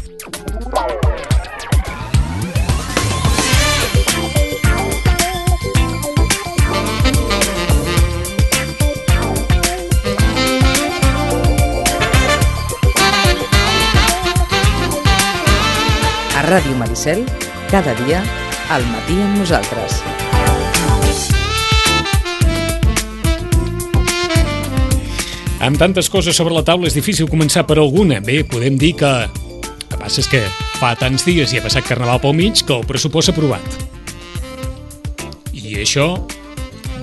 A Ràdio Maricel, cada dia, al matí amb nosaltres. Amb tantes coses sobre la taula és difícil començar per alguna. Bé, podem dir que el que passa és que fa tants dies i ha passat Carnaval pel mig que el pressupost s'ha aprovat. I això,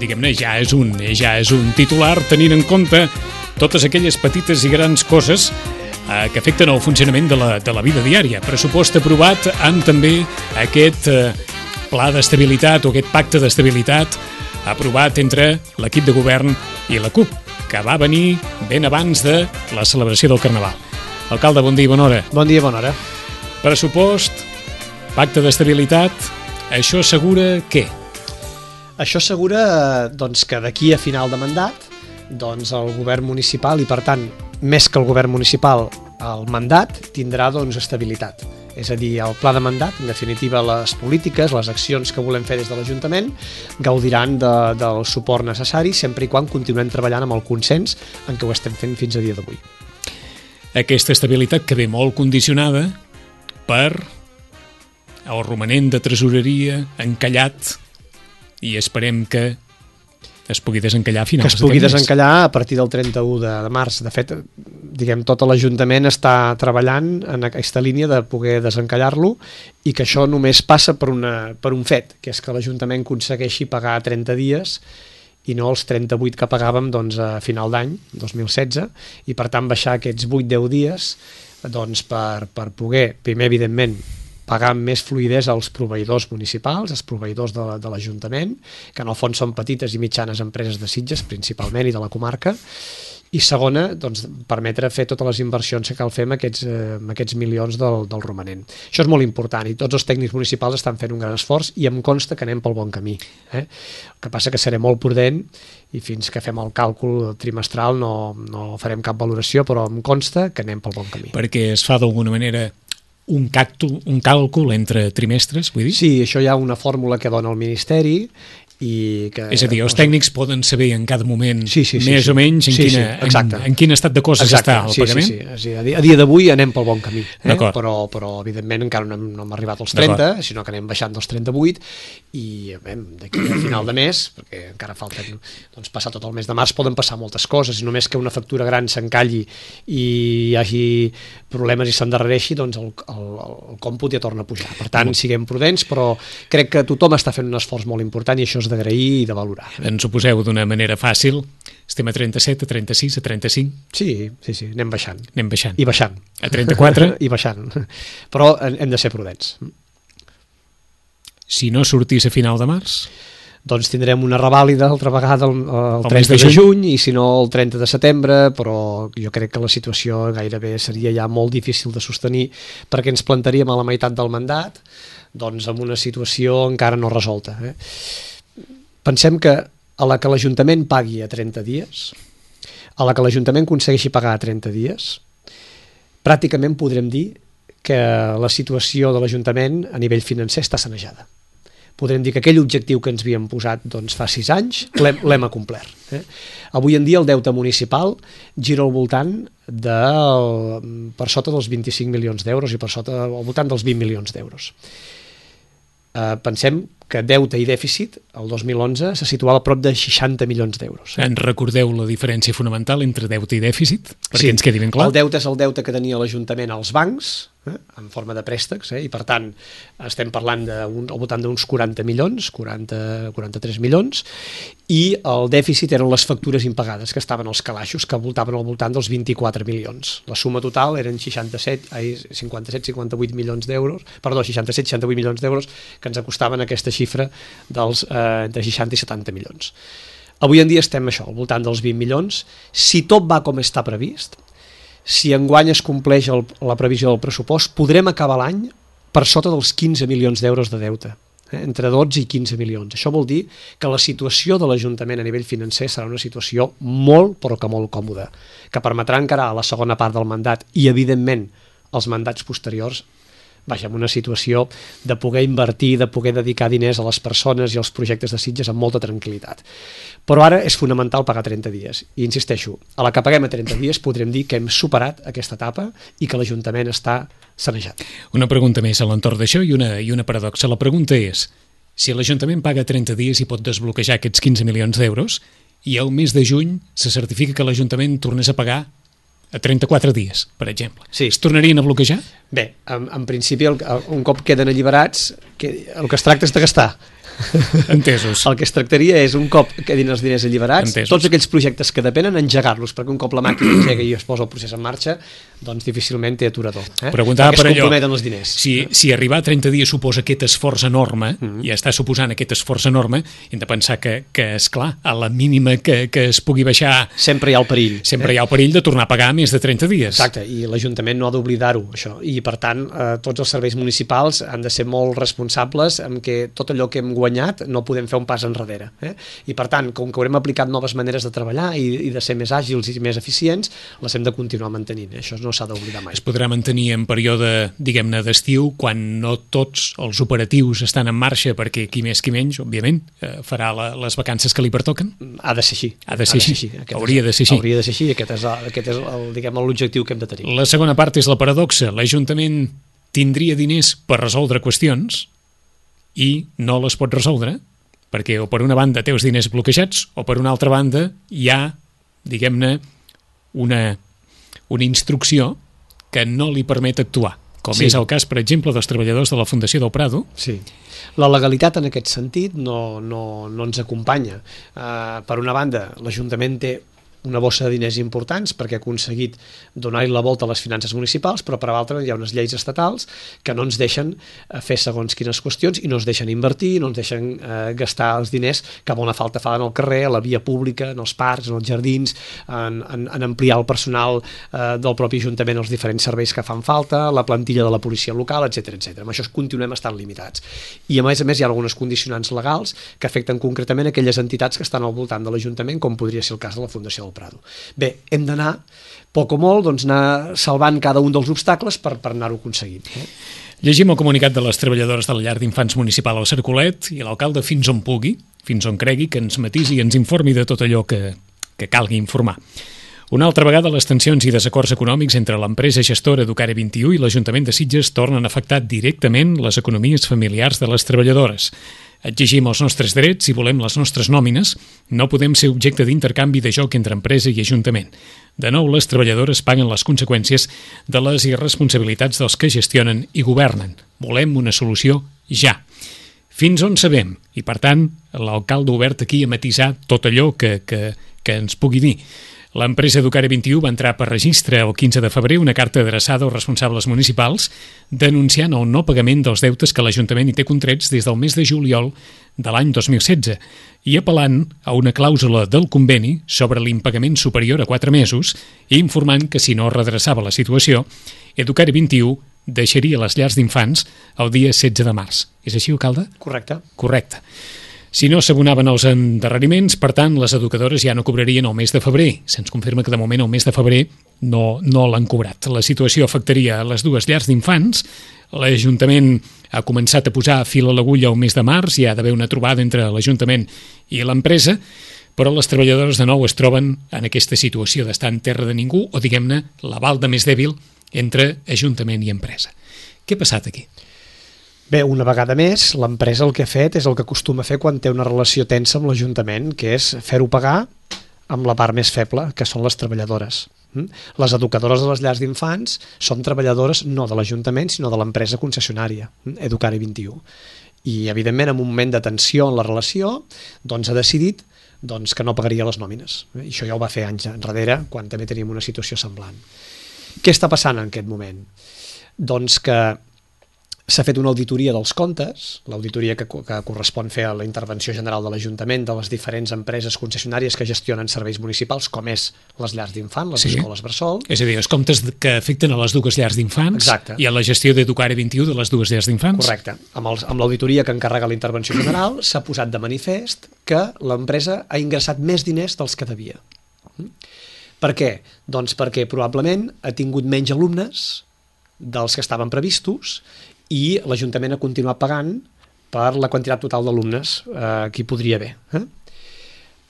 diguem-ne, ja és un titular tenint en compte totes aquelles petites i grans coses que afecten el funcionament de la vida diària. Pressupost aprovat amb també aquest pla d'estabilitat o aquest pacte d'estabilitat aprovat entre l'equip de govern i la CUP, que va venir ben abans de la celebració del Carnaval. Alcalde, bon dia i bona hora. Bon dia i bona hora. Pressupost, pacte d'estabilitat, això assegura què? Això assegura doncs, que d'aquí a final de mandat doncs, el govern municipal i, per tant, més que el govern municipal, el mandat tindrà doncs, estabilitat. És a dir, el pla de mandat, en definitiva, les polítiques, les accions que volem fer des de l'Ajuntament gaudiran del suport necessari sempre i quan continuem treballant amb el consens en què ho estem fent fins a dia d'avui. Aquesta estabilitat que ve molt condicionada per el romanent de tresoreria encallat i esperem que es pugui desencallar a finals. Que es pugui desencallar a partir del 31 de març. De fet, diguem, tot l'Ajuntament està treballant en aquesta línia de poder desencallar-lo i que això només passa per un fet, que és que l'Ajuntament aconsegueixi pagar 30 dies i no els 38 que pagàvem doncs, a final d'any, 2016, i per tant baixar aquests 8-10 dies doncs, per poder, primer, evidentment, pagar amb més fluïdesa als proveïdors municipals, als proveïdors de l'Ajuntament, que en el fons són petites i mitjanes empreses de Sitges, principalment, i de la comarca, i segona, doncs, permetre fer totes les inversions que cal fer amb aquests milions del romanent. Això és molt important i tots els tècnics municipals estan fent un gran esforç i em consta que anem pel bon camí. El que passa que seré molt prudent i fins que fem el càlcul trimestral no farem cap valoració, però em consta que anem pel bon camí. Perquè es fa d'alguna manera un càlcul entre trimestres, vull dir? Sí, això hi ha una fórmula que dona el Ministeri i que... És a dir, els tècnics poden saber en cada moment més o menys en quin estat de coses està el pagament? Sí. A dia d'avui anem pel bon camí, però evidentment encara no hem arribat als 30, sinó que anem baixant dels 38 i d'aquí a final de mes, perquè encara falten passar tot el mes de març, poden passar moltes coses, i només que una factura gran s'encalli i hi hagi problemes i s'endarrereixi, doncs el còmput ja torna a pujar. Per tant, siguem prudents, però crec que tothom està fent un esforç molt important i això és d'agrair i de valorar. Ens ho poseu d'una manera fàcil. Estem a 37, a 36, a 35? Sí, anem baixant. Anem baixant. I baixant. A 34? I baixant. Però hem de ser prudents. Si no sortís a final de març? Doncs tindrem una revàlida altra vegada el 30 de juny i si no el 30 de setembre, però jo crec que la situació gairebé seria ja molt difícil de sostenir perquè ens plantaríem a la meitat del mandat doncs amb una situació encara no resolta. Pensem que a la que l'Ajuntament pagui a 30 dies, a la que l'Ajuntament aconsegueixi pagar a 30 dies, pràcticament podrem dir que la situació de l'Ajuntament a nivell financer està sanejada. Podrem dir que aquell objectiu que ens havíem posat fa 6 anys l'hem acomplert. Avui en dia el deute municipal gira al voltant per sota dels 25 milions d'euros i per sota al voltant dels 20 milions d'euros. Pensem que deute i dèficit el 2011 se situava a prop de 60 milions d'euros. En recordeu la diferència fonamental entre deute i dèficit? Perquè ens quedi ben clar. El deute és el deute que tenia l'Ajuntament als bancs, en forma de préstecs, i per tant estem parlant al voltant d'uns 40 milions, 43 milions, i el dèficit eren les factures impagades que estaven als calaixos, que voltaven al voltant dels 24 milions. La suma total eren 57-58 milions d'euros, perdó, 67-68 milions d'euros que ens acostaven aquesta xifra dels entre 60 i 70 milions. Avui en dia estem al voltant dels 20 milions. Si tot va com està previst, si enguany es compleix la previsió del pressupost, podrem acabar l'any per sota dels 15 milions d'euros de deute, entre 12 i 15 milions. Això vol dir que la situació de l'Ajuntament a nivell financer serà una situació molt, però que molt còmoda, que permetrà encarar la segona part del mandat i, evidentment, els mandats posteriors, vaja, en una situació de poder invertir, de poder dedicar diners a les persones i als projectes de Sitges amb molta tranquil·litat. Però ara és fonamental pagar 30 dies. I insisteixo, a la que paguem a 30 dies podrem dir que hem superat aquesta etapa i que l'Ajuntament està sanejat. Una pregunta més a l'entorn d'això i una paradoxa. La pregunta és, si l'Ajuntament paga 30 dies i pot desbloquejar aquests 15 milions d'euros i al mes de juny se certifica que l'Ajuntament tornés a pagar a 34 dies, per exemple. Sí. Es tornarien a bloquejar? Bé, en principi, un cop queden alliberats, el que es tracta és de gastar. Entesos. El que es tractaria és, un cop quedin els diners alliberats, Entesos. tots aquells projectes que depenen, engegar-los, perquè un cop la màquina engega i es posa el procés en marxa, doncs difícilment té aturador. Preguntava perquè per es allò, comprometen els diners. si arribar a 30 dies suposa aquest esforç enorme, i està suposant aquest esforç enorme, hem de pensar que esclar, a la mínima que es pugui baixar, Sempre hi ha el perill. sempre hi ha el perill de tornar a pagar més de 30 dies. Exacte, i l'Ajuntament no ha d'oblidar-ho, això. I, per tant, tots els serveis municipals han de ser molt responsables amb que tot allò que hem guanyat no podem fer un pas enrere. I, per tant, com que haurem aplicat noves maneres de treballar i de ser més àgils i més eficients, les hem de continuar mantenint. Això no s'ha d'oblidar mai. Es podrà mantenir en període, diguem-ne, d'estiu, quan no tots els operatius estan en marxa, perquè qui més qui menys, òbviament, farà les vacances que li pertoquen? Ha de ser així. Ha de ser així. Hauria de ser així. Hauria de ser així, aquest és l'objectiu que hem de tenir. La segona part és la paradoxa. L'Ajuntament tindria diners per resoldre qüestions i no les pot resoldre, perquè o per una banda té els diners bloquejats o per una altra banda hi ha, diguem-ne, una instrucció que no li permet actuar, com és el cas, per exemple, dels treballadors de la Fundació del Prado. Sí. La legalitat en aquest sentit no ens acompanya. Per una banda, l'Ajuntament té una bossa de diners importants perquè ha aconseguit donar-hi la volta a les finances municipals, però per l'altra hi ha unes lleis estatals que no ens deixen fer segons quines qüestions i no ens deixen invertir, no ens deixen gastar els diners que a bona falta fan al carrer, a la via pública, en els parcs, en els jardins, en ampliar el personal del propi Ajuntament als diferents serveis que fan falta, la plantilla de la policia local, etc. Amb això continuem estant limitats. I a més hi ha algunes condicionants legals que afecten concretament aquelles entitats que estan al voltant de l'Ajuntament, com podria ser el cas de la Fundació del Prado. Bé, hem d'anar, poc o molt, anar salvant cada un dels obstacles per anar-ho aconseguint. Llegim el comunicat de les treballadores de la llar d'infants municipal al Cercolet i l'alcalde fins on pugui, fins on cregui, que ens matisi i ens informi de tot allò que calgui informar. Una altra vegada, les tensions i desacords econòmics entre l'empresa gestora Educare 21 i l'Ajuntament de Sitges tornen a afectar directament les economies familiars de les treballadores. Exigim els nostres drets i volem les nostres nòmines. No podem ser objecte d'intercanvi de joc entre empresa i Ajuntament. De nou, les treballadores paguen les conseqüències de les irresponsabilitats dels que gestionen i governen. Volem una solució ja. Fins on sabem? I, per tant, l'alcalde obert aquí a matisar tot allò que ens pugui dir. L'empresa Educare 21 va entrar per registre el 15 de febrer una carta adreçada als responsables municipals denunciant el no pagament dels deutes que l'Ajuntament hi té contrets des del mes de juliol de l'any 2016 i apel·lant a una clàusula del conveni sobre l'impagament superior a 4 mesos i informant que si no redreçava la situació, Educare 21 deixaria les llars d'infants el dia 16 de març. És així, alcalde? Correcte. Correcte. Si no s'abonaven els endarreriments, per tant, les educadores ja no cobrarien el mes de febrer. Se'ns confirma que de moment el mes de febrer no l'han cobrat. La situació afectaria a les dues llars d'infants. L'Ajuntament ha començat a posar fil a l'agulla el mes de març, hi ha d'haver una trobada entre l'Ajuntament i l'empresa, però les treballadores de nou es troben en aquesta situació d'estar en terra de ningú, o diguem-ne, la balda més dèbil entre Ajuntament i empresa. Què ha passat aquí? Bé, una vegada més, l'empresa el que ha fet és el que acostuma a fer quan té una relació tensa amb l'Ajuntament, que és fer-ho pagar amb la part més feble, que són les treballadores. Les educadores de les llars d'infants són treballadores no de l'Ajuntament, sinó de l'empresa concessionària, Educare 21. I, evidentment, en un moment de tensió en la relació, doncs ha decidit que no pagaria les nòmines. I això ja ho va fer anys enrere, quan també teníem una situació semblant. Què està passant en aquest moment? Doncs que s'ha fet una auditoria dels comptes, l'auditoria que correspon fer a la intervenció general de l'Ajuntament de les diferents empreses concessionàries que gestionen serveis municipals, com és les llars d'infants, les escoles bressol. És a dir, els comptes que afecten a les dues llars d'infants. Exacte. I a la gestió d'Educare 21 de les dues llars d'infants. Correcte. Amb l'auditoria que encarrega la intervenció general s'ha posat de manifest que l'empresa ha ingressat més diners dels que devia. Per què? Doncs perquè probablement ha tingut menys alumnes dels que estaven previstos i l'Ajuntament ha continuat pagant per la quantitat total d'alumnes que hi podria haver.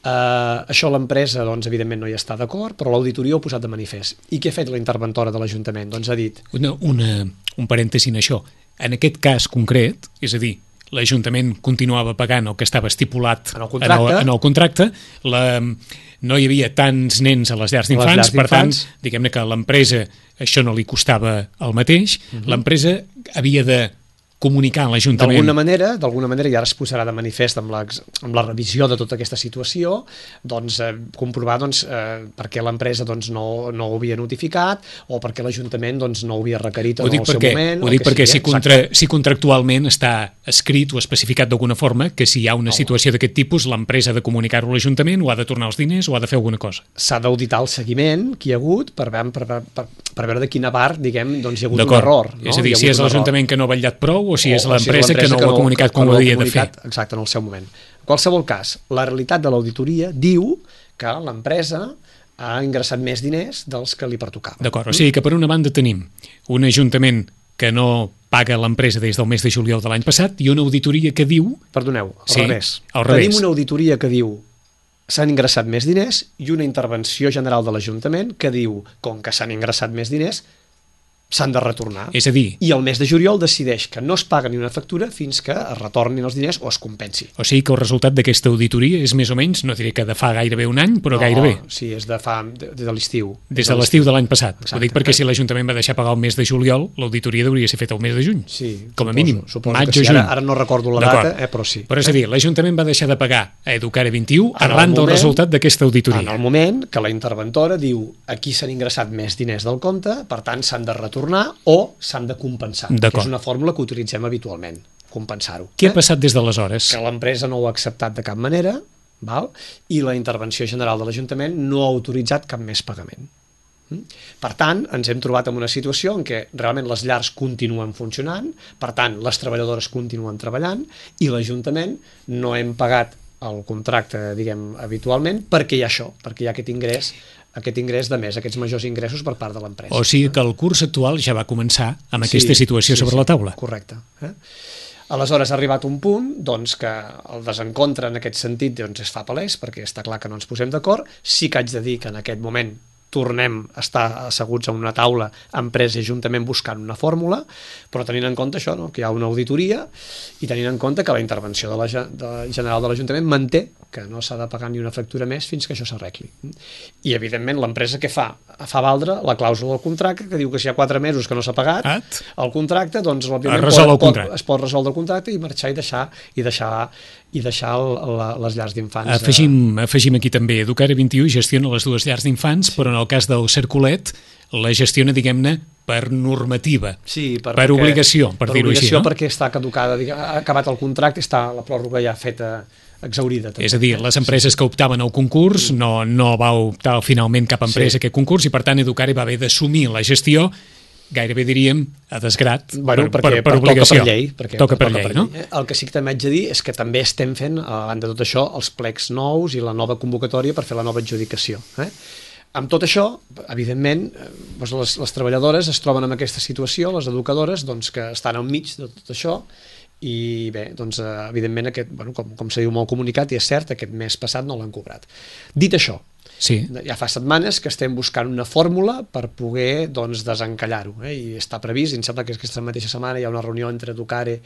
Això l'empresa, doncs, evidentment no hi està d'acord, però l'auditoria ho ha posat de manifest. I què ha fet la interventora de l'Ajuntament? Doncs ha dit... Un parèntesi en això. En aquest cas concret, és a dir, l'Ajuntament continuava pagant el que estava estipulat en el contracte, no hi havia tants nens a les llars d'infants, per tant, diguem-ne que a l'empresa això no li costava el mateix, l'empresa havia de comunicar a l'Ajuntament. D'alguna manera, i ara es posarà de manifest amb la revisió de tota aquesta situació, doncs, comprovar per què l'empresa no ho havia notificat o per què l'Ajuntament no ho havia requerit en el seu moment. Ho dic perquè si contractualment està escrit o especificat d'alguna forma que si hi ha una situació d'aquest tipus, l'empresa ha de comunicar-ho a l'Ajuntament o ha de tornar els diners o ha de fer alguna cosa. S'ha d'auditar el seguiment que hi ha hagut per veure de quina part, diguem, hi ha hagut un error. És a dir, si és l'Ajuntament que no ha vetllat prou o si és l'empresa que no ho ha comunicat com ho havia de fer. Exacte, en el seu moment. En qualsevol cas, la realitat de l'auditoria diu que l'empresa ha ingressat més diners dels que li pertocava. D'acord, o sigui que per una banda tenim un Ajuntament que no paga l'empresa des del mes de juliol de l'any passat i una auditoria que diu... Perdoneu, al revés. Tenim una auditoria que diu s'han ingressat més diners i una intervenció general de l'Ajuntament que diu, com que s'han ingressat més diners, s'han de retornar. És a dir... I el mes de juliol decideix que no es paga ni una factura fins que es retornin els diners o es compensi. O sigui que el resultat d'aquesta auditoria és més o menys, no diré que de fa gairebé un any, però gairebé. Sí, és de l'estiu. Des de l'estiu de l'any passat. Exacte. Ho dic perquè si l'Ajuntament va deixar pagar el mes de juliol, l'auditoria hauria ser feta el mes de juny. Sí, com a mínim. Maig o juny. Ara no recordo la data, però sí. Però és a dir, l'Ajuntament va deixar de pagar a Educare 21 arran del resultat d'aquesta auditoria. En el moment que la interventora diu aquí s'han ingressat més diners del compte, per tant s'han de retornar o s'han de compensar, que és una fórmula que utilitzem habitualment, compensar-ho. Què ha passat des d'aleshores? Que l'empresa no ho ha acceptat de cap manera, i la intervenció general de l'Ajuntament no ha autoritzat cap més pagament. Per tant, ens hem trobat en una situació en què realment les llars continuen funcionant, per tant, les treballadores continuen treballant i l'Ajuntament no hem pagat el contracte, diguem, habitualment, perquè hi ha això, perquè hi ha aquest ingrés de més, aquests majors ingressos per part de l'empresa. O sigui que el curs actual ja va començar amb aquesta situació sobre la taula. Correcte. Aleshores ha arribat un punt que el desencontre en aquest sentit es fa palès, perquè està clar que no ens posem d'acord. Sí que haig de dir que en aquest moment tornem a estar asseguts a una taula, empresa i ajuntament, buscant una fórmula, però tenint en compte això, que hi ha una auditoria i tenint en compte que la intervenció general de l'Ajuntament manté que no s'ha de pagar ni una factura més fins que això s'arregli. I, evidentment, l'empresa què fa? Fa valdre la clàusula del contracte que diu que si hi ha 4 mesos que no s'ha pagat el contracte, doncs es pot resoldre el contracte i marxar i deixar les llars d'infants. Afegim aquí també, Educare 21 gestiona les dues llars d'infants, però en el cas del Cercolet la gestiona, diguem-ne, per normativa, per obligació, per dir-ho així. Perquè està caducada, ha acabat el contracte, està la pròrroga ja feta, exhaurida. És a dir, les empreses que optaven al concurs no va optar finalment cap empresa a aquest concurs i per tant Educare va haver d'assumir la gestió, gairebé diríem a desgrat, per obligació. Toca per llei, no? El que sí que també haig de dir és que també estem fent, a banda de tot això, els plecs nous i la nova convocatòria per fer la nova adjudicació. Amb tot això, evidentment, les treballadores es troben en aquesta situació, les educadores, que estan al mig de tot això, i bé, evidentment, com se diu molt comunicat, i és cert, aquest mes passat no l'han cobrat. Dit això, ja fa setmanes que estem buscant una fórmula per poder desencallar-ho, i està previst, i em sembla que aquesta mateixa setmana hi ha una reunió entre Educare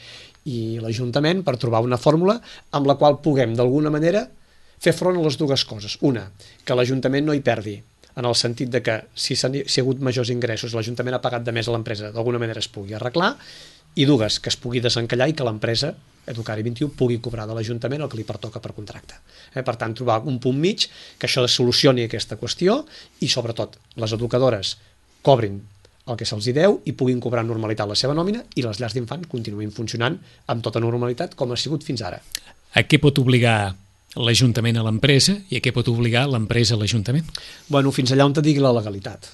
i l'Ajuntament per trobar una fórmula amb la qual puguem, d'alguna manera, fer front a les dues coses. Una, que l'Ajuntament no hi perdi, en el sentit de que si ha hagut majors ingressos, l'Ajuntament ha pagat de més a l'empresa, d'alguna manera es pugui arreglar, i dues, que es pugui desencallar i que l'empresa, Educare 21, pugui cobrar de l'Ajuntament el que li pertoca per contracte. Per tant, trobar un punt mig que això solucioni aquesta qüestió i, sobretot, les educadores cobrin el que se'ls deu i puguin cobrar en normalitat la seva nòmina i les llars d'infants continuïn funcionant amb tota normalitat com ha sigut fins ara. A què pot obligar l'Ajuntament a l'empresa i a què pot obligar l'empresa a l'Ajuntament? Fins allà on te digui la legalitat.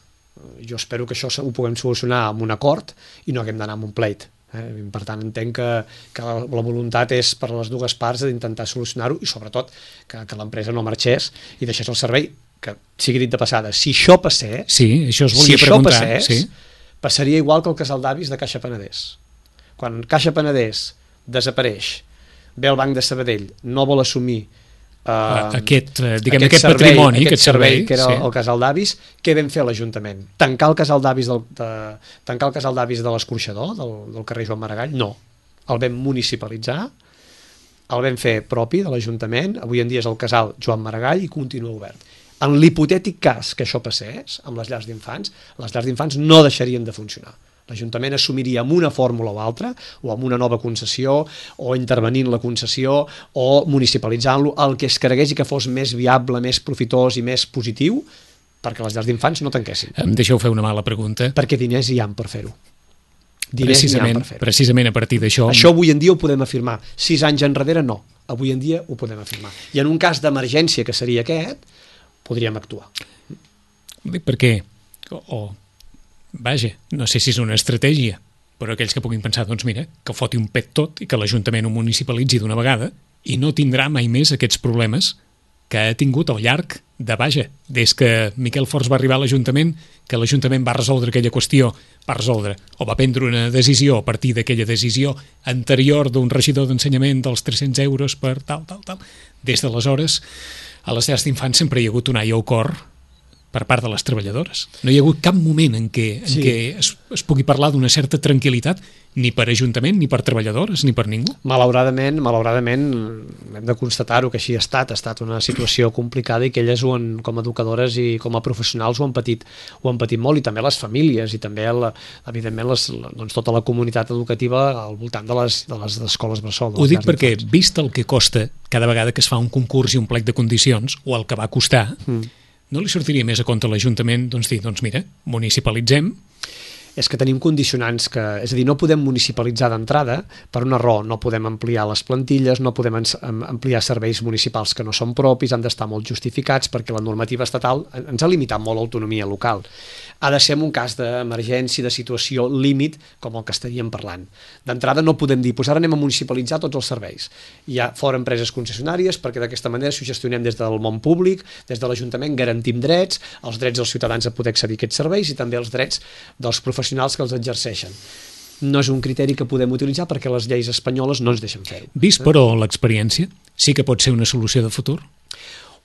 Jo espero que això ho puguem solucionar amb un acord i no haguem d'anar amb un pleit. Per tant, entenc que la voluntat és per les dues parts d'intentar solucionar-ho i sobretot que l'empresa no marxés i deixés el servei, que sigui dit de passada, si això passés, Passaria igual que el casal d'avis de Caixa Penedès. Quan Caixa Penedès desapareix, ve el Banc de Sabadell, no vol assumir aquest patrimoni, aquest servei, que era el casal d'avis, què vam fer a l'Ajuntament? Tancar el casal d'avis de l'Escorxador, del carrer Joan Maragall? No. El vam municipalitzar, el vam fer propi de l'Ajuntament, avui en dia és el casal Joan Maragall i continua obert. En l'hipotètic cas que això passés amb les llars d'infants no deixarien de funcionar. L'Ajuntament assumiria amb una fórmula o altra, o amb una nova concessió, o intervenint la concessió, o municipalitzant-lo, el que es cregués i que fos més viable, més profitós i més positiu, perquè les llars d'infants no tanquessin. Em deixeu fer una mala pregunta. Perquè diners hi ha per fer-ho. Precisament a partir d'això... Això avui en dia ho podem afirmar. 6 anys enrere no. Avui en dia ho podem afirmar. I en un cas d'emergència, que seria aquest, podríem actuar. Perquè... Vaja, no sé si és una estratègia, però aquells que puguin pensar, doncs mira, que foti un pet tot i que l'Ajuntament ho municipalitzi d'una vegada i no tindrà mai més aquests problemes que ha tingut al llarg de, des que Miquel Forns va arribar a l'Ajuntament, que l'Ajuntament va resoldre aquella qüestió, o va prendre una decisió a partir d'aquella decisió anterior d'un regidor d'ensenyament dels 300 euros per tal. Des d'aleshores, a les llars d'infants sempre hi ha hagut un ai al cor per part de les treballadores. No hi ha hagut cap moment en què es pugui parlar d'una certa tranquil·litat, ni per Ajuntament, ni per treballadores, ni per ningú. Malauradament, hem de constatar-ho que així ha estat una situació complicada i que elles com a educadores i com a professionals ho han patit molt, i també les famílies i també, evidentment, tota la comunitat educativa al voltant de les escoles bressol. Ho dic perquè, vist el que costa cada vegada que es fa un concurs i un plec de condicions, o el que va costar, no li sortiria més a compte a l'Ajuntament dir, mira, municipalitzem. És que tenim condicionants és a dir, no podem municipalitzar d'entrada per una raó, no podem ampliar les plantilles, no podem ampliar serveis municipals que no són propis, han d'estar molt justificats perquè la normativa estatal ens ha limitat molt l'autonomia local. Ha de ser en un cas d'emergència, de situació límit, com el que estaríem parlant. D'entrada no podem dir, ara anem a municipalitzar tots els serveis. Hi ha fora empreses concessionàries, perquè d'aquesta manera, si ho gestionem des del món públic, des de l'Ajuntament, garantim drets, els drets dels ciutadans a poder accedir a aquests serveis i també els drets dels professionals que els exerceixen. No és un criteri que podem utilitzar perquè les lleis espanyoles no ens deixen fer-ho. Vist, però, l'experiència, sí que pot ser una solució de futur?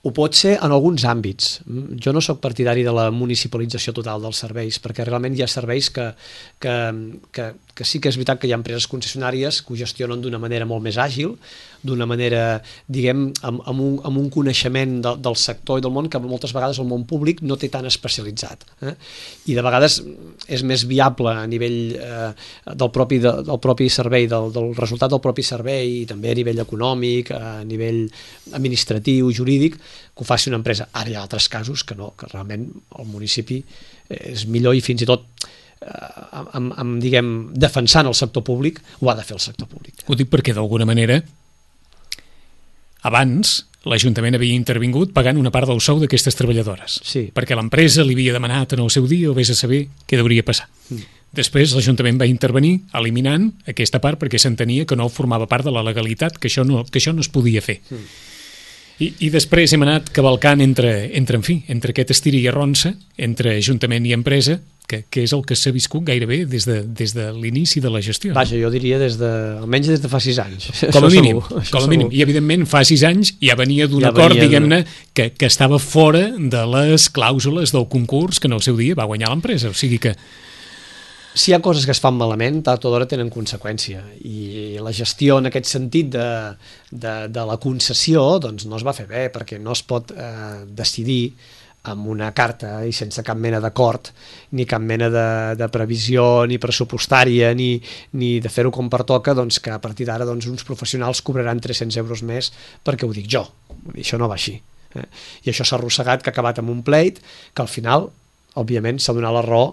Ho pot ser en alguns àmbits. Jo no sóc partidari de la municipalització total dels serveis, perquè realment hi ha serveis que sí que és veritat que hi ha empreses concessionàries que ho gestionen d'una manera molt més àgil, d'una manera, diguem, amb un coneixement del sector i del món que moltes vegades el món públic no té tan especialitzat. I de vegades és més viable a nivell del propi servei, del resultat del propi servei, i també a nivell econòmic, a nivell administratiu, jurídic, que ho faci una empresa. Ara hi ha altres casos que no, que realment el municipi és millor i fins i tot diguem, defensant el sector públic, ho ha de fer el sector públic. Ho dic perquè d'alguna manera abans l'Ajuntament havia intervingut pagant una part del sou d'aquestes treballadores, perquè l'empresa li havia demanat en el seu dia, o vés a saber què hauria passat. Després l'Ajuntament va intervenir eliminant aquesta part perquè s'entenia que no formava part de la legalitat, que això no es podia fer. I després hem anat cavalcant entre aquest estir i arronsa, entre Ajuntament i empresa, que és el que s'ha viscut gairebé des de l'inici de la gestió. Vaja, jo diria almenys des de fa 6 anys. Com a mínim. I evidentment fa 6 anys ja venia d'un acord, diguem-ne, que estava fora de les clàusules del concurs que en el seu dia va guanyar l'empresa. O sigui que... Si hi ha coses que es fan malament, tard o d'hora tenen conseqüència, i la gestió en aquest sentit de la concessió doncs no es va fer bé, perquè no es pot decidir amb una carta i sense cap mena d'acord, ni cap mena de previsió ni pressupostària, ni de fer-ho com pertoca, doncs que a partir d'ara uns professionals cobraran 300 euros més perquè ho dic jo. Això no va així. I això s'ha arrossegat, que ha acabat amb un pleit que al final, òbviament, s'ha donat la raó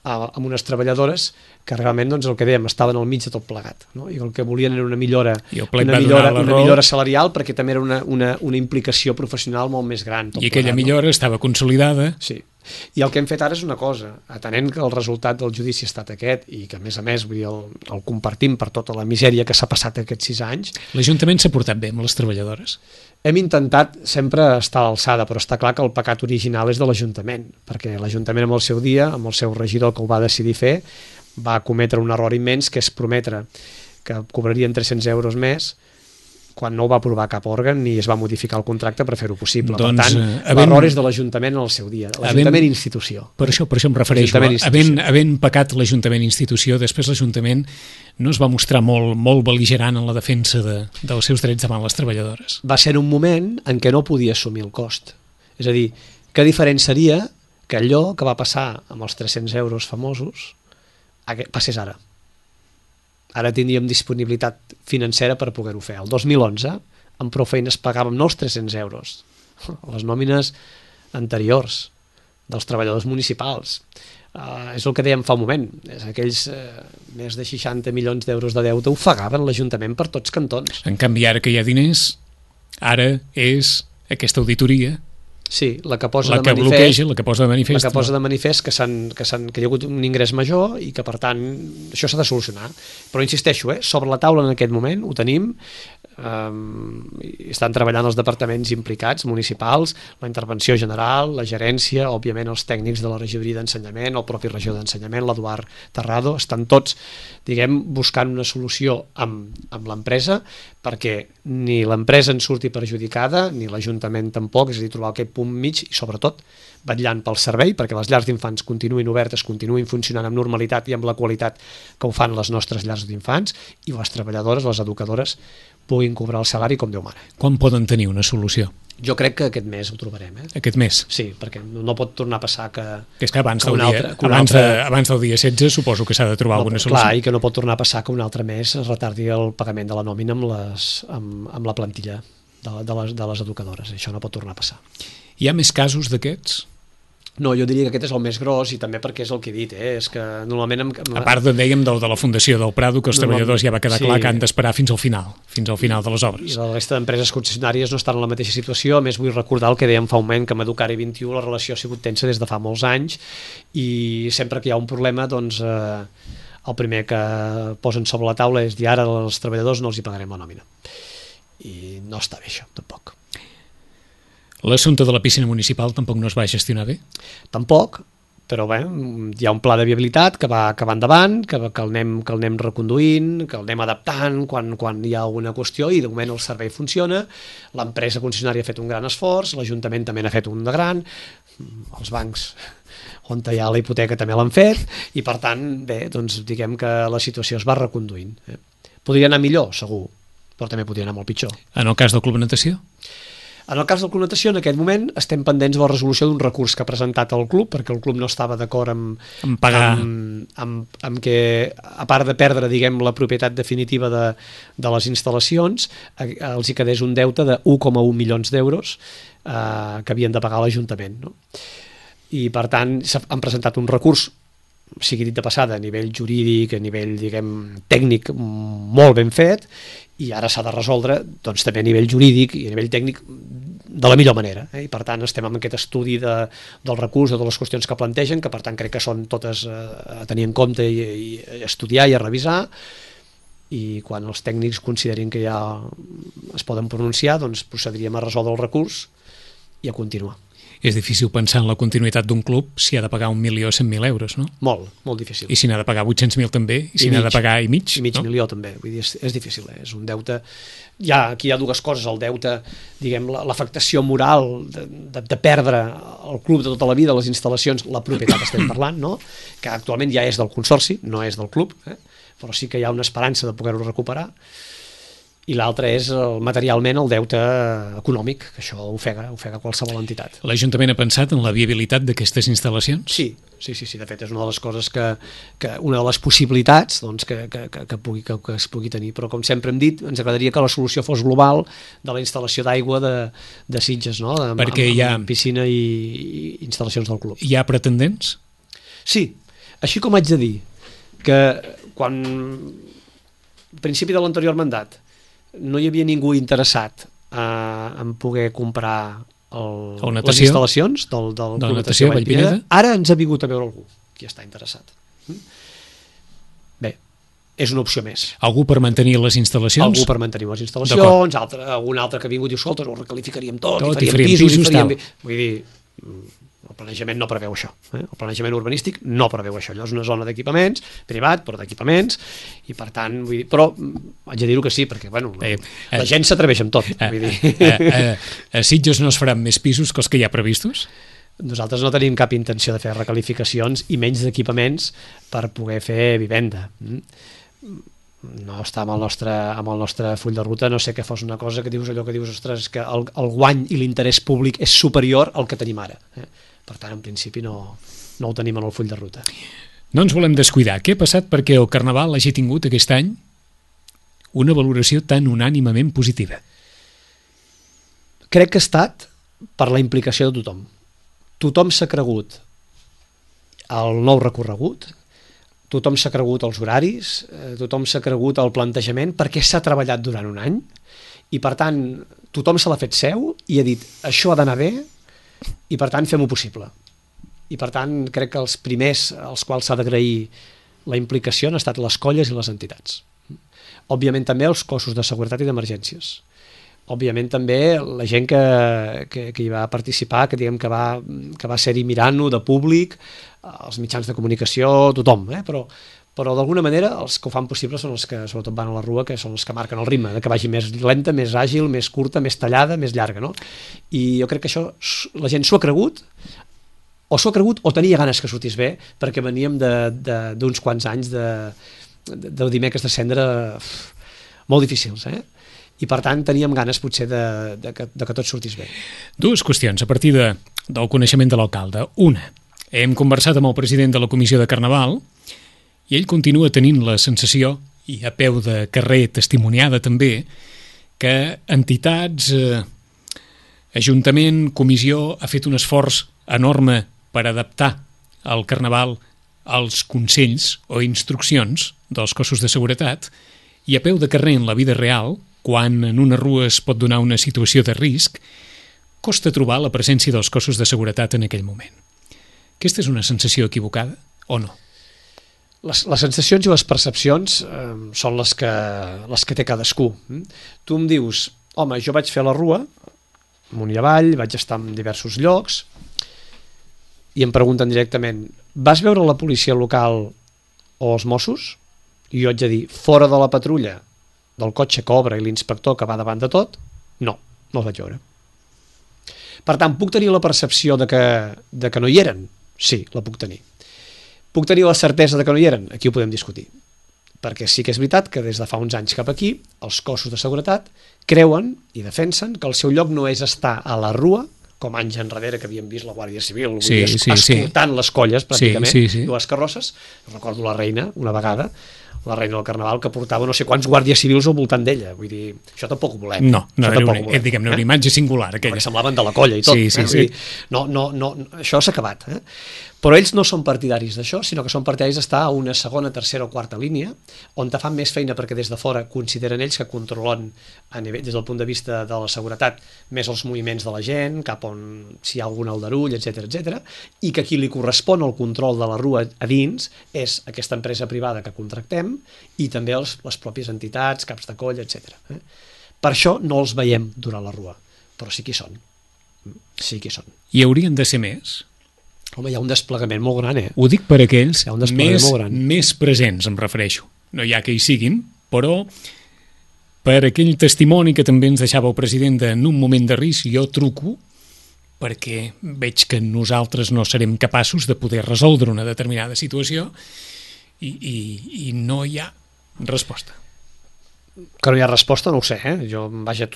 amb unes treballadores que realment doncs, el que dèiem, estaven al mig de tot plegat, no? I el que volien era una millora salarial, perquè també era una implicació professional molt més gran. I aquella millora estava consolidada. Sí. I el que hem fet ara és una cosa, atenent que el resultat del judici ha estat aquest i que a més vull dir, el compartim per tota la misèria que s'ha passat aquests 6 anys. L'Ajuntament s'ha portat bé amb les treballadores? Hem intentat sempre estar a l'alçada, però està clar que el pecat original és de l'Ajuntament, perquè l'Ajuntament amb el seu dia, amb el seu regidor que ho va decidir fer, va cometre un error immens, que és prometre que cobrarien 300 euros més quan no ho va aprovar cap òrgan ni es va modificar el contracte per fer-ho possible. Doncs, per tant, l'error és de l'Ajuntament en el seu dia. L'Ajuntament institució. Per això em refereixo. Havent pecat l'Ajuntament institució, després l'Ajuntament no es va mostrar molt bel·ligerant en la defensa dels seus drets davant les treballadores. Va ser un moment en què no podia assumir el cost. És a dir, què diferent seria que allò que va passar amb els 300 euros famosos passés ara. Ara tindríem disponibilitat financera per poder-ho fer. El 2011, amb prou feines pagàvem no els 300 euros, les nòmines anteriors dels treballadors municipals. És el que dèiem fa un moment. Aquells més de 60 milions d'euros de deute ofegaven l'Ajuntament per tots cantons. En canvi, ara que hi ha diners, ara és aquesta auditoria. Sí, la que posa de manifest, la que posa de manifest que hi ha hagut un ingrés major i que per tant això s'ha de solucionar, però insisteixo, sobre la taula en aquest moment ho tenim, estan treballant els departaments implicats, municipals, la intervenció general, la gerència, òbviament els tècnics de la regidoria d'ensenyament, el propi regidor d'ensenyament, l'Eduard Terrado, estan tots, buscant una solució amb l'empresa perquè ni l'empresa en surti perjudicada, ni l'Ajuntament tampoc, és a dir, trobar aquest punt mig i sobretot vetllant pel servei perquè les llars d'infants continuïn obertes, continuïn funcionant amb normalitat i amb la qualitat que ho fan les nostres llars d'infants i les treballadores, les educadores puguin cobrar el salari com Déu mana. Quan poden tenir una solució? Jo crec que aquest mes ho trobarem. Aquest mes? Sí, perquè no pot tornar a passar que... És que abans del dia 16 suposo que s'ha de trobar alguna solució. Clar, i que no pot tornar a passar que un altre mes es retardi el pagament de la nòmina amb la plantilla de les educadores. Això no pot tornar a passar. Hi ha més casos d'aquests? No, jo diria que aquest és el més gros i també perquè és el que he dit, és que normalment... A part, dèiem, de la Fundació del Prado, que els treballadors ja va quedar clar que han d'esperar fins al final de les obres. I la resta d'empreses concessionàries no estan en la mateixa situació. A més, vull recordar el que dèiem fa un moment, que amb Educare 21 la relació ha sigut tensa des de fa molts anys i sempre que hi ha un problema, doncs el primer que posen sobre la taula és dir ara als treballadors no els hi pagarem la nòmina. I no està bé això, tampoc. L'assumpte de la piscina municipal tampoc no es va gestionar bé? Tampoc, però bé, hi ha un pla de viabilitat que va endavant, que el anem reconduint, que el anem adaptant quan hi ha alguna qüestió i de moment el servei funciona, l'empresa concessionària ha fet un gran esforç, l'Ajuntament també n'ha fet un de gran, els bancs on hi ha la hipoteca també l'han fet i per tant, bé, doncs diguem que la situació es va reconduint. Podria anar millor, segur, però també podria anar molt pitjor. En el cas del Club Natació? En el cas del Club Natació, en aquest moment, estem pendents de la resolució d'un recurs que ha presentat el club, perquè el club no estava d'acord amb pagar, amb que, a part de perdre, diguem, la propietat definitiva de les instal·lacions, els hi quedés un deute de 1,1 milions d'euros que havien de pagar a l'Ajuntament, no? I, per tant, han presentat un recurs, sigui dit de passada, a nivell jurídic, a nivell, diguem, tècnic, molt ben fet, i ara s'ha de resoldre doncs, també a nivell jurídic i a nivell tècnic de la millor manera. I per tant estem en aquest estudi del recurs, de les qüestions que plantegen, que per tant crec que són totes a tenir en compte i a estudiar i a revisar, i quan els tècnics considerin que ja es poden pronunciar, doncs procediríem a resoldre el recurs i a continuar. És difícil pensar en la continuïtat d'un club si ha de pagar 1.100.000 euros, no? Molt difícil. I si n'ha de pagar 800.000 també, i si n'ha de pagar i mig, no? Milió també, vull dir, és difícil, és un deute... Aquí hi ha dues coses, el deute, diguem, l'afectació moral de perdre el club de tota la vida, les instal·lacions, la propietat estem parlant, no? Que actualment ja és del consorci, no és del club, però sí que hi ha una esperança de poder-ho recuperar, i l'altre és materialment el deute econòmic, que això ofega qualsevol entitat. L'Ajuntament ha pensat en la viabilitat d'aquestes instal·lacions? Sí, de fet és una de les coses una de les possibilitats doncs, que es pugui tenir, però com sempre hem dit, ens agradaria que la solució fos global de la instal·lació d'aigua de Sitges, no? Perquè hi ha piscina i instal·lacions del club. Hi ha pretendents? Sí, així com haig de dir que quan al principi de l'anterior mandat no hi havia ningú interessat en poder comprar les instal·lacions del Club Natació Vallpineda, ara ens ha vingut a veure algú qui està interessat. Bé, és una opció més. Algú per mantenir les instal·lacions? Algú per mantenir les instal·lacions, algun altre que ha vingut i diu, escolta, ho recalificaríem tot i faríem pisos. Vull dir, el planejament no preveu això. El planejament urbanístic no preveu això. Allò és una zona d'equipaments, privat, però d'equipaments, i per tant, vull dir, però haig de dir-ho que sí, perquè bueno, la gent s'atreveix amb tot. Vull dir. A Sitges no es faran més pisos que els que hi ha previstos? Nosaltres no tenim cap intenció de fer recalificacions i menys d'equipaments per poder fer vivenda. No està amb el nostre full de ruta, no sé que fos una cosa que dius allò que dius, ostres, que el guany i l'interès públic és superior al que tenim ara. Per tant, en principi no ho tenim en el full de ruta. No ens volem descuidar. Què ha passat perquè el Carnaval hagi tingut aquest any una valoració tan unànimement positiva? Crec que ha estat per la implicació de tothom. Tothom s'ha cregut el nou recorregut, tothom s'ha cregut els horaris, tothom s'ha cregut el plantejament, perquè s'ha treballat durant un any, i per tant tothom se l'ha fet seu i ha dit això ha d'anar bé, i per tant fem-ho possible. I per tant crec que els primers als quals s'ha d'agrair la implicació han estat les colles i les entitats. Òbviament també els cossos de seguretat i d'emergències. Òbviament també la gent que hi va participar, que diguem que va ser-hi mirant-ho de públic, els mitjans de comunicació, tothom, però d'alguna manera els que ho fan possible són els que sobretot van a la rua, que són els que marquen el ritme, que vagi més lenta, més àgil, més curta, més tallada, més llarga, no? I jo crec que això la gent s'ho ha cregut, o tenia ganes que sortís bé, perquè veníem d'uns quants anys de dimecres de cendra molt difícils, i per tant teníem ganes potser de que tot sortís bé. Dues qüestions a partir del coneixement de l'alcalde. Una, hem conversat amb el president de la Comissió de Carnaval i ell continua tenint la sensació, i a peu de carrer testimoniada també, que entitats, Ajuntament, Comissió, ha fet un esforç enorme per adaptar el Carnaval als consells o instruccions dels cossos de seguretat, i a peu de carrer en la vida real, quan en una rua es pot donar una situació de risc, costa trobar la presència dels cossos de seguretat en aquell moment. Aquesta és una sensació equivocada o no? Les sensacions i les percepcions són les que té cadascú. Tu em dius, home, jo vaig fer la rua, amunt i avall, vaig estar en diversos llocs, i em pregunten directament, vas veure la policia local o els Mossos? I jo haig de dir, fora de la patrulla, del cotxe que obre i l'inspector que va davant de tot, no els vaig veure. Per tant, puc tenir la percepció de que no hi eren? Sí, la puc tenir. Puc tenir la certesa de que no hi eren? Aquí ho podem discutir. Perquè sí que és veritat que des de fa uns anys cap aquí, els cossos de seguretat creuen i defensen que el seu lloc no és estar a la rua, com anys enrere que havíem vist la Guàrdia Civil, escoltant les colles, pràcticament, i les carrosses. Recordo la reina, una vegada, la reina del Carnaval, que portava no sé quants guàrdies civils al voltant d'ella. Vull dir, això tampoc ho volem. No era una imatge singular, aquella. Perquè semblaven de la colla i tot. Sí. No, això s'ha acabat. Però ells no són partidaris d'això, sinó que són partidaris d'estar a una segona, tercera o quarta línia, on te fan més feina perquè des de fora consideren ells que controlen a nivell, des del punt de vista de la seguretat, més els moviments de la gent, cap on si hi ha algun aldarull, etc, i que qui li correspon el control de la rua a dins és aquesta empresa privada que contractem i també les pròpies entitats, caps de colla, etc. Per això no els veiem durant la rua, però sí que hi són. Sí que hi són. I haurien de ser més? Home, hi ha un desplegament molt gran, Ho dic per aquells més presents, em refereixo. No hi ha que hi siguin, però per aquell testimoni que també ens deixava el president en un moment de risc, jo truco perquè veig que nosaltres no serem capaços de poder resoldre una determinada situació i no hi ha resposta. Que no hi ha resposta, no ho sé,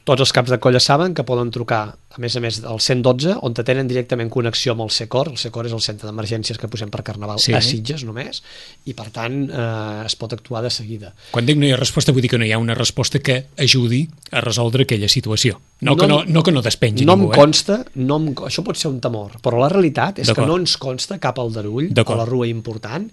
tots els caps de colla saben que poden trucar, a més al 112, on tenen directament connexió amb el SECOR. El SECOR és el centre d'emergències que posem per Carnaval a Sitges només, i per tant es pot actuar de seguida. Quan dic no hi ha resposta, vull dir que no hi ha una resposta que ajudi a resoldre aquella situació. No que no despengi no ningú, em consta, això pot ser un temor, però la realitat és que no ens consta cap aldarull a la rua important,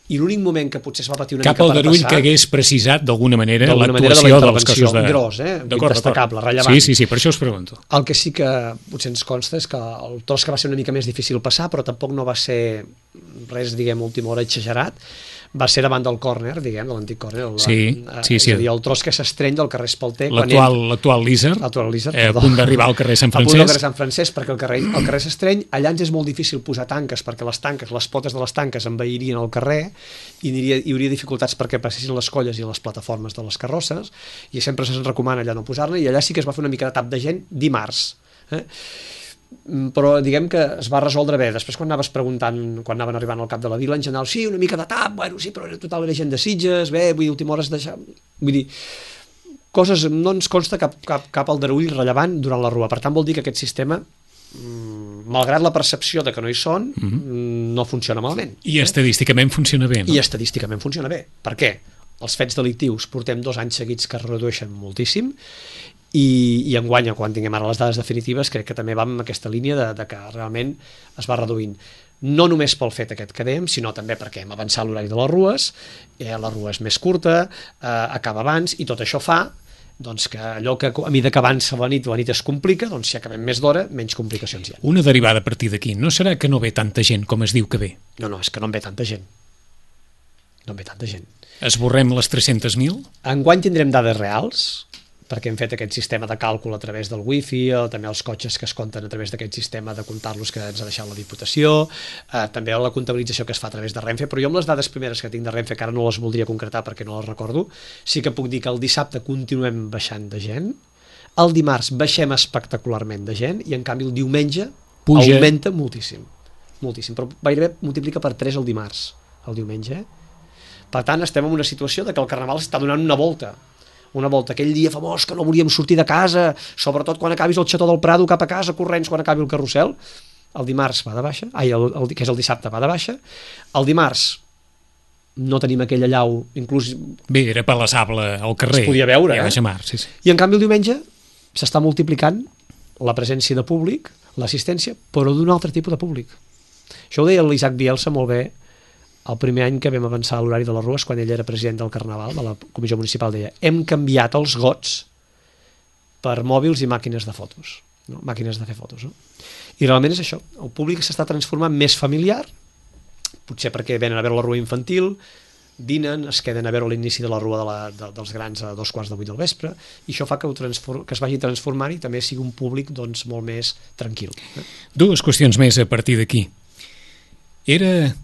i l'únic moment que potser es va patir una mica per passar... Cap aldarull que hagués precisat d'alguna manera l'actuació dels cossos de... Gros, destacable, rellevant. Sí, per això us pregunto. El que sí que potser ens consta és que el tros que va ser una mica més difícil passar, però tampoc no va ser res, diguem, última hora exagerat, va ser davant del córner, diguem, de l'antic córner. Sí. És a dir, el tros que s'estreny del carrer Espalter. L'actual Líser, a punt d'arribar al carrer Sant Francesc. A punt del carrer Sant Francesc, perquè el carrer s'estreny, allà ens és molt difícil posar tanques, perquè les potes de les tanques envairien el carrer i hi hauria dificultats perquè passessin les colles i les plataformes de les carrosses, i sempre se'ns recomana allà no posar-ne, i allà sí que es va fer una mica de tap de gent dimarts. Però diguem que es va resoldre bé. Després quan anaves preguntant, quan anaven arribant al cap de la vila, en general, sí, una mica de tap, bueno, sí, però total era gent de Sitges, bé, vull dir, última hora es deixa... Vull dir, coses, no ens consta cap aldarull rellevant durant la rua. Per tant, vol dir que aquest sistema, malgrat la percepció de que no hi són, no funciona malament. I estadísticament funciona bé, no? I estadísticament funciona bé. Per què? Els fets delictius portem 2 anys seguits que es redueixen moltíssim, i enguany, quan tinguem ara les dades definitives, crec que també va en aquesta línia de que realment es va reduint. No només pel fet aquest que dèiem, sinó també perquè hem avançat l'horari de les rues, la rua és més curta, acaba abans, i tot això fa doncs, que allò que a mesura que avança la nit es complica, doncs si acabem més d'hora, menys complicacions hi ha. Una derivada a partir d'aquí, no serà que no ve tanta gent com es diu que ve? No, és que no en ve tanta gent. No en ve tanta gent. Esborrem les 300.000? Enguany tindrem dades reals, perquè hem fet aquest sistema de càlcul a través del wifi, també els cotxes que es compten a través d'aquest sistema de comptar-los que ens ha deixat la Diputació, també la comptabilització que es fa a través de Renfe, però jo amb les dades primeres que tinc de Renfe, que ara no les voldria concretar perquè no les recordo, sí que puc dir que el dissabte continuem baixant de gent, el dimarts baixem espectacularment de gent, i en canvi el diumenge augmenta moltíssim, però gairebé multiplica per 3 el dimarts, el diumenge. Per tant, estem en una situació de que el Carnaval està donant una volta, aquell dia famós que no volíem sortir de casa, sobretot quan acabis el Xató del Prado cap a casa, corrents quan acabi el carrusel. El dimarts va de baixa, que és el dissabte va de baixa, el dimarts no tenim aquella llau, inclús... Bé, era palassable al carrer. Es podia veure, sí. I en canvi el diumenge s'està multiplicant la presència de públic, l'assistència, però d'un altre tipus de públic. Això ho deia l'Isaac Bielsa molt bé, el primer any que vam avançar a l'horari de les rues, quan ell era president del Carnaval, de la Comissió Municipal, deia: hem canviat els gots per mòbils i màquines de fotos, màquines de fer fotos. I realment és això, el públic s'està transformant més familiar, potser perquè venen a veure la rua infantil, dinen, es queden a veure l'inici de la rua dels grans a 7:45 del vespre, i això fa que es vagi transformant i també sigui un públic doncs, molt més tranquil. 2 qüestions més a partir d'aquí. Era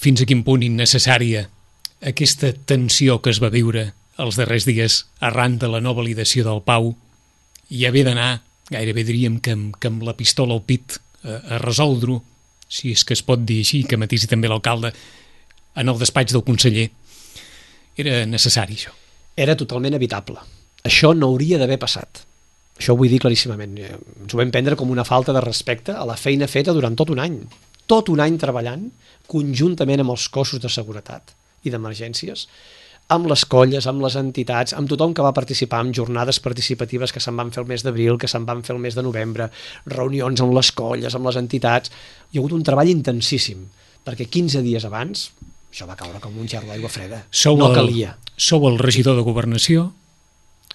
fins a quin punt innecessària aquesta tensió que es va viure els darrers dies arran de la no validació del Pau i haver d'anar, gairebé diríem que amb la pistola al pit, a resoldre-ho, si és que es pot dir així, que matisi també l'alcalde, en el despatx del conseller. Era necessari, això? Era totalment evitable. Això no hauria d'haver passat. Això ho vull dir claríssimament. Ens ho vam prendre com una falta de respecte a la feina feta durant tot un any. Tot un any treballant conjuntament amb els cossos de seguretat i d'emergències, amb les colles, amb les entitats, amb tothom que va participar en jornades participatives que se'n van fer el mes d'abril, que se'n van fer el mes de novembre, reunions amb les colles, amb les entitats. Hi ha hagut un treball intensíssim, perquè 15 dies abans això va caure com un gerro d'aigua freda. No calia. Sou el regidor de Governació,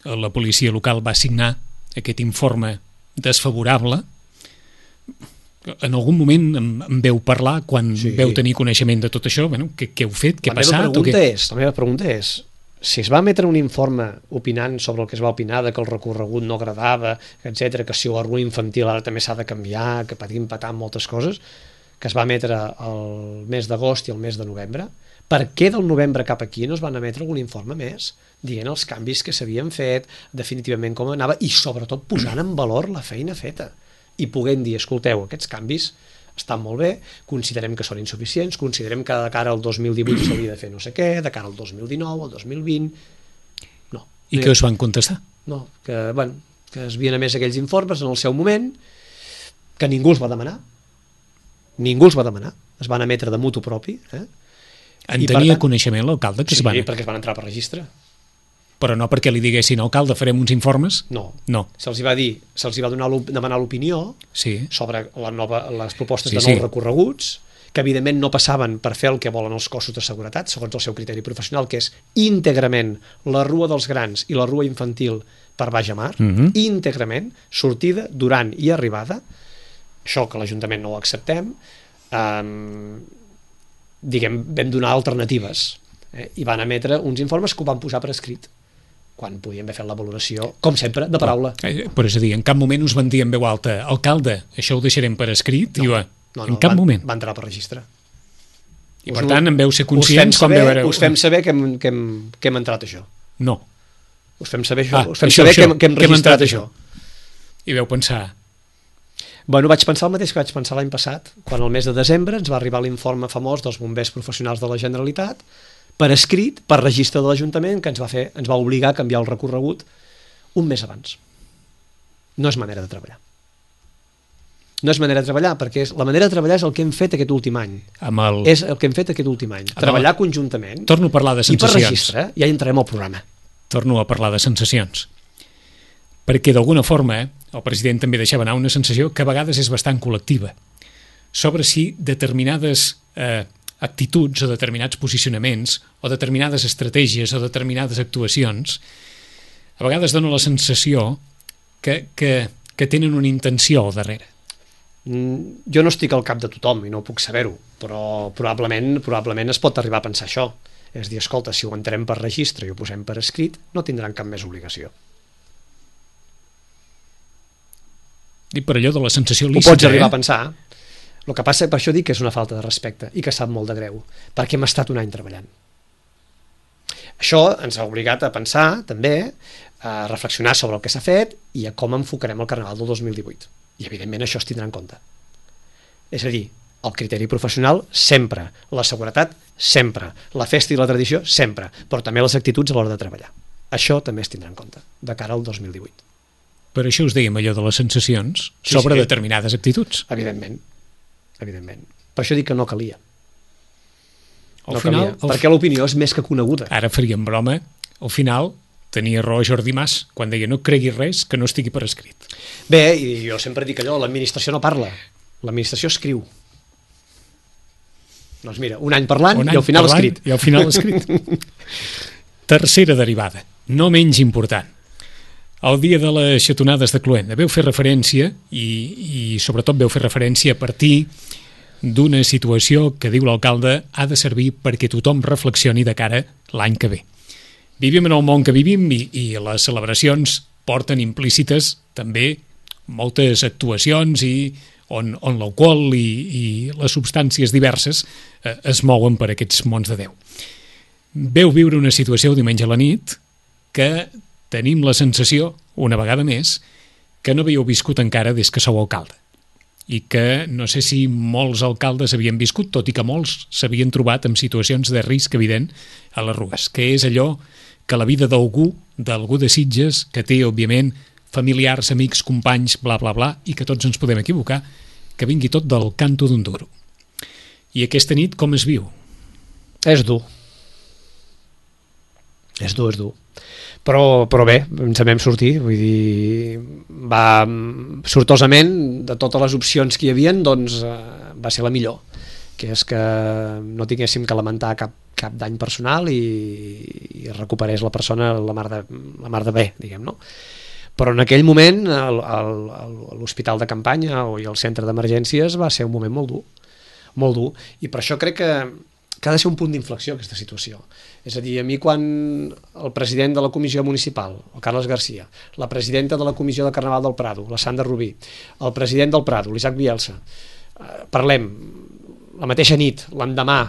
la policia local va signar aquest informe desfavorable. En algun moment em veu parlar quan veu tenir coneixement de tot això, bueno, què heu fet, què ha passat? La meva pregunta és, si es va emetre un informe opinant sobre el que es va opinar, que el recorregut no agradava, etc., que si la rua infantil ara també s'ha de canviar, que patim patant moltes coses, que es va emetre el mes d'agost i el mes de novembre, per què del novembre cap aquí no es van emetre algun informe més dient els canvis que s'havien fet, definitivament com anava, i sobretot posant en valor la feina feta i podent dir, escolteu, aquests canvis estan molt bé, considerem que són insuficients, considerem que de cara al 2018 s'hauria de fer no sé què, de cara al 2019, al 2020... No. I què us van contestar? No, que es havien emès aquells informes en el seu moment, que ningú els va demanar. Ningú els va demanar. Es van emetre de mutu propi. En tenia coneixement l'alcalde? Sí, perquè es van entrar per registre. Però no perquè li diguessin, alcalde, farem uns informes? No. Sí. Se'ls va demanar l'opinió sobre les propostes de nous recorreguts, que evidentment no passaven per fer el que volen els cossos de seguretat, segons el seu criteri professional, que és íntegrament la Rua dels Grans i la Rua Infantil per Baix a Mar, íntegrament, sortida, durant i arribada. Això que l'Ajuntament no ho acceptem, vam donar alternatives, i van emetre uns informes que ho van posar per escrit, quan podíem haver fet la valoració, com sempre, de paraula. Però és a dir, en cap moment us van dir en veu alta, alcalde, això ho deixarem per escrit? No, en cap moment. Va entrar per registre. I per tant, en veu ser conscients quan veureu... Us fem saber que hem entrat això. No. Us fem saber això. Us fem saber que hem registrat això. I veu pensar... Bueno, vaig pensar el mateix que vaig pensar l'any passat, quan el mes de desembre ens va arribar l'informe famós dels bombers professionals de la Generalitat, per escrit, per registre de l'Ajuntament, que ens va obligar a canviar el recorregut un mes abans. No és manera de treballar. No és manera de treballar, perquè la manera de treballar és el que hem fet aquest últim any. És el que hem fet aquest últim any. Treballar conjuntament. Torno a parlar de sensacions. I per registre, ja entrarem al programa. Torno a parlar de sensacions. Perquè d'alguna forma el president també deixava anar una sensació que a vegades és bastant col·lectiva sobre si determinades actituds o determinats posicionaments o determinades estratègies o determinades actuacions a vegades dona la sensació que tenen una intenció al darrere. Jo no estic al cap de tothom i no puc saber-ho, però probablement es pot arribar a pensar això. És dir, escolta, si ho entrem per registre i ho posem per escrit, no tindran cap més obligació. I per allò de la sensació lícita... Ho pots arribar a pensar. El que passa, per això dic que és una falta de respecte i que sap molt de greu, perquè hem estat un any treballant. Això ens ha obligat a pensar, també, a reflexionar sobre el que s'ha fet i a com enfocarem el Carnaval del 2018. I evidentment això es tindrà en compte. És a dir, el criteri professional sempre, la seguretat sempre, la festa i la tradició sempre, però també les actituds a l'hora de treballar. Això també es tindrà en compte de cara al 2018. Per això us dèiem allò de les sensacions sobre determinades actituds. Evidentment. Per això dic que no calia. Perquè l'opinió és més que coneguda. Ara faríem broma, al final tenia raó Jordi Mas quan deia no creguis res que no estigui per escrit. Bé, i jo sempre dic allò, l'administració no parla, l'administració escriu. Doncs mira, un any parlant i al final escrit. I al final escrit. Tercera derivada, no menys important. El dia de les xatonades de Cluenda veu fer referència i sobretot veu fer referència a partir d'una situació que, diu l'alcalde, ha de servir perquè tothom reflexioni de cara l'any que ve. Vivim en el món que vivim i les celebracions porten implícites també moltes actuacions on l'alcohol i les substàncies diverses es mouen per aquests mons de Déu. Veu viure una situació diumenge a la nit que tenim la sensació, una vegada més, que no havíeu viscut encara des que sou alcalde i que no sé si molts alcaldes havien viscut, tot i que molts s'havien trobat en situacions de risc evident a les Rues, que és allò que la vida d'algú de Sitges, que té, òbviament, familiars, amics, companys, bla, bla, bla, i que tots ens podem equivocar, que vingui tot del canto d'un duro. I aquesta nit com es viu? És dur. És dur. Però bé, ens en vam sortir, vull dir, sortosament, de totes les opcions que hi havia, doncs va ser la millor, que és que no tinguéssim que lamentar cap dany personal i recuperés la persona la mar de bé, diguem, no? Però en aquell moment l'hospital de campanya i el centre d'emergències va ser un moment molt dur, i per això crec que ha de ser un punt d'inflexió aquesta situació. És a dir, a mi quan el president de la comissió municipal, el Carles Garcia, la presidenta de la comissió de Carnaval del Prado, la Sandra Rubí, el president del Prado, l'Isaac Bielsa, parlem la mateixa nit, l'endemà,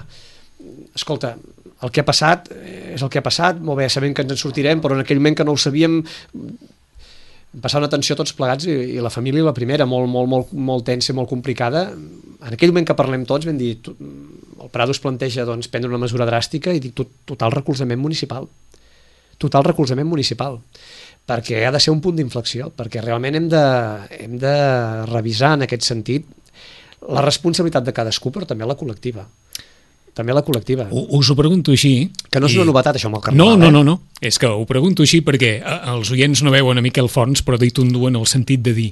escolta, el que ha passat és el que ha passat, molt bé, sabem que ens en sortirem, però en aquell moment que no ho sabíem, passar una tensió tots plegats i la família la primera, molt tensa, molt complicada. En aquell moment que parlem tots vam dir, el Prado es planteja prendre una mesura dràstica i dic total recolzament municipal, perquè ha de ser un punt d'inflexió, perquè realment hem de revisar en aquest sentit la responsabilitat de cadascú, però també la col·lectiva. també la col·lectiva. Us ho pregunto així. Que no és una novetat, això, amb el carnaval. No. És que ho pregunto així perquè els oients no veuen a Miquel Forns, però dit un dur en el sentit de dir,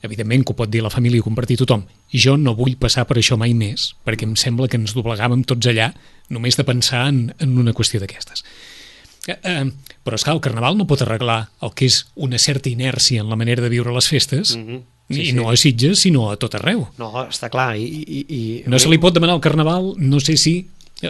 evidentment que ho pot dir la família i compartir tothom, jo no vull passar per això mai més, perquè em sembla que ens doblegàvem tots allà només de pensar en una qüestió d'aquestes. Però és clar, el carnaval no pot arreglar el que és una certa inèrcia en la manera de viure les festes, i no a Sitges, sinó a tot arreu. No, està clar. No se li pot demanar al carnaval, no sé si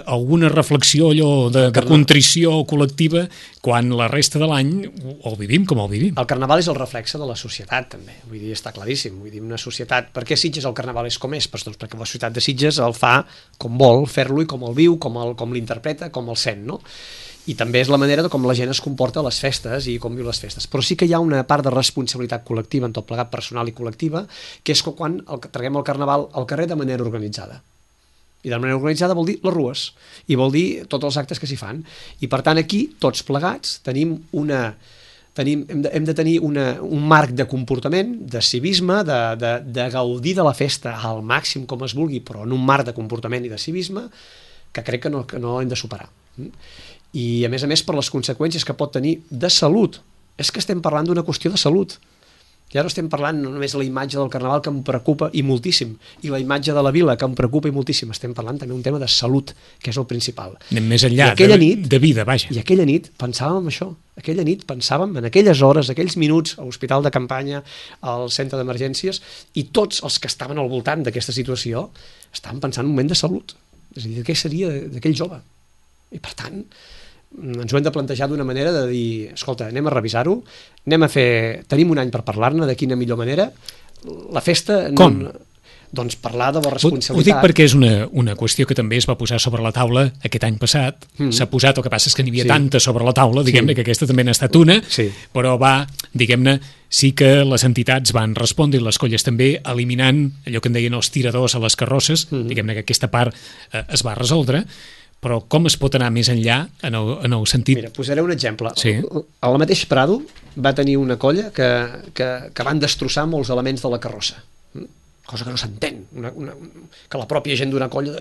alguna reflexió allò de contrició col·lectiva quan la resta de l'any el vivim com el vivim. El carnaval és el reflexe de la societat, també. Vull dir, està claríssim. Vull dir, una societat... Per què Sitges el carnaval és com és? Doncs perquè la societat de Sitges el fa com vol fer-lo i com el viu, com l'interpreta, com el sent, no? I també és la manera de com la gent es comporta a les festes i com viu les festes. Però sí que hi ha una part de responsabilitat col·lectiva, en tot plegat personal i col·lectiva, que és quan traguem el carnaval al carrer de manera organitzada. I de manera organitzada vol dir les rues, i vol dir tots els actes que s'hi fan. I per tant aquí, tots plegats, hem de tenir un marc de comportament, de civisme, de gaudir de la festa al màxim com es vulgui, però en un marc de comportament i de civisme que crec que no hem de superar. I a més per les conseqüències que pot tenir de salut. És que estem parlant d'una qüestió de salut. Ja no estem parlant només de la imatge del carnaval, que em preocupa i moltíssim, i la imatge de la vila, que em preocupa i moltíssim. Estem parlant també d'un tema de salut, que és el principal. Anem més enllà de vida, vaja. I aquella nit pensàvem en això. Aquella nit pensàvem en aquelles hores, aquells minuts a l'hospital de campanya, al centre d'emergències, i tots els que estaven al voltant d'aquesta situació estaven pensant en un moment de salut. És a dir, què seria d'aquell jove? I per tant, ens ho hem de plantejar d'una manera de dir, escolta, anem a revisar-ho, tenim un any per parlar-ne, de quina millor manera, la festa... Com? Doncs parlar de la responsabilitat. Ho dic perquè és una qüestió que també es va posar sobre la taula aquest any passat, s'ha posat, el que passa és que n'hi havia tanta sobre la taula, diguem-ne que aquesta també n'ha estat una, però diguem-ne, sí que les entitats van respondre i les colles també, eliminant allò que en deien els tiradors a les carrosses, diguem-ne que aquesta part es va resoldre, però com es pot anar més enllà en el sentit... Mira, posaré un exemple. El mateix Prado va tenir una colla que van destrossar molts elements de la carrossa, cosa que no s'entén, que la pròpia gent d'una colla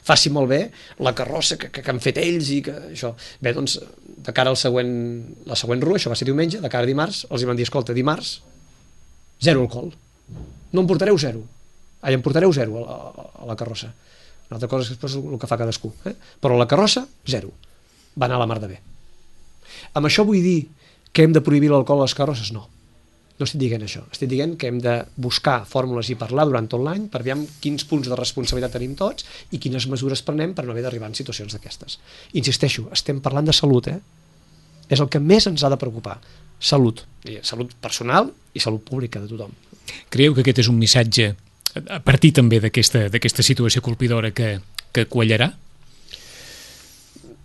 faci malbé la carrossa que han fet ells i que això... Bé, doncs, de cara a la següent rua, això va ser diumenge, de cara a dimarts, els hi van dir, escolta, dimarts, 0 alcohol. No en portareu 0. Em portareu 0 a la carrossa. Una altra cosa és després el que fa cadascú. Però la carrossa, 0. Va anar a la mar de bé. Amb això vull dir que hem de prohibir l'alcohol a les carrosses? No. No estic dient això. Estic dient que hem de buscar fórmules i parlar durant tot l'any per veure quins punts de responsabilitat tenim tots i quines mesures prenem per no haver d'arribar en situacions d'aquestes. Insisteixo, estem parlant de salut, És el que més ens ha de preocupar. Salut. I salut personal i salut pública de tothom. Creieu que aquest és un missatge a partir també d'aquesta situació colpidora que quallarà?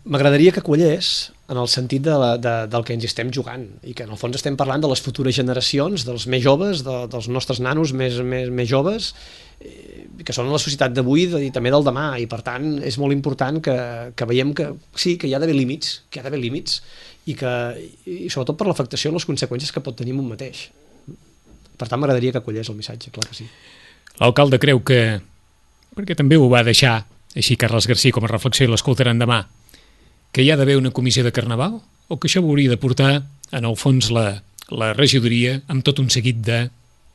M'agradaria que quallés en el sentit del que ens estem jugant i que en el fons estem parlant de les futures generacions, dels més joves, dels nostres nanos més joves, que són la societat d'avui i també del demà, i per tant és molt important que veiem que sí, que hi ha d'haver límits, i sobretot per l'afectació i les conseqüències que pot tenir un mateix. Per tant m'agradaria que quallés el missatge, clar que sí. L'alcalde creu que, perquè també ho va deixar així Carles García com a reflexió i l'escoltaran demà, que hi ha d'haver una comissió de carnaval o que això hauria de portar en el fons la regidoria amb tot un seguit de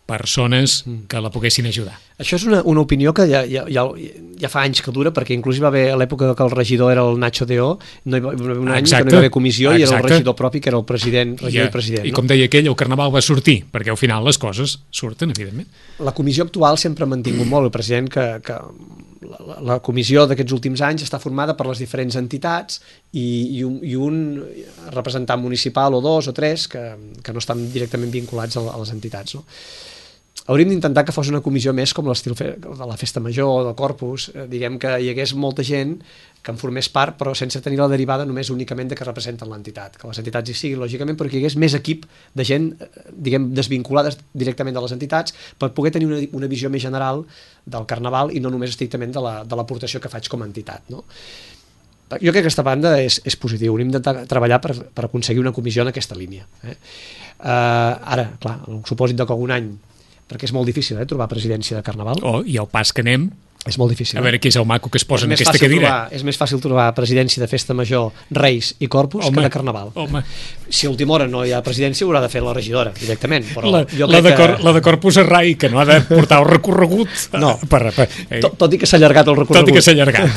persones que la poguessin ajudar? Això és una opinió que ja fa anys que dura, perquè inclús hi va haver a l'època que el regidor era el Nacho Deó, no hi va haver un any que no hi va haver comissió i era el regidor propi que era el president, regidor i president. I com deia aquell, el carnaval va sortir, perquè al final les coses surten, evidentment. La comissió actual sempre ha mantingut molt el president que la comissió d'aquests últims anys està formada per les diferents entitats i un representant municipal o 2 o 3 que no estan directament vinculats a les entitats, no? Hauríem d'intentar que fos una comissió més com l'estil de la Festa Major o del Corpus, diguem que hi hagués molta gent que en formés part, però sense tenir la derivada només únicament de que representen l'entitat, que les entitats hi siguin, lògicament, però que hi hagués més equip de gent, diguem, desvinculades directament de les entitats per poder tenir una visió més general del carnaval i no només estrictament de l'aportació que faig com a entitat, no? Jo crec que aquesta banda és positiu, hauríem de treballar per aconseguir una comissió en aquesta línia. Ara, clar, en el supòsit que algun any, perquè és molt difícil trobar presidència de carnaval. I el pas que anem, És molt difícil. A veure qui és el maco que es posa en més aquesta fàcil cadira. és més fàcil trobar presidència de festa major, Reis i Corpus que de Carnaval. Si a última hora no hi ha presidència, haurà de fer la regidora directament. Però la de Corpus a Rai, que no ha de portar el recorregut. No, tot i que s'ha allargat el recorregut. Tot i que s'ha allargat.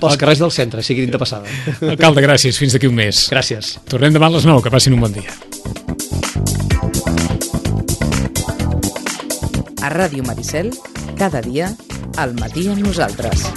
Pels carrers del centre, sigui dit de passada. Alcalde, gràcies. Fins d'aquí un mes. Gràcies. Tornem demà a les 9. Que passin un bon dia. A Ràdio Maricel, cada dia, al matí amb nosaltres.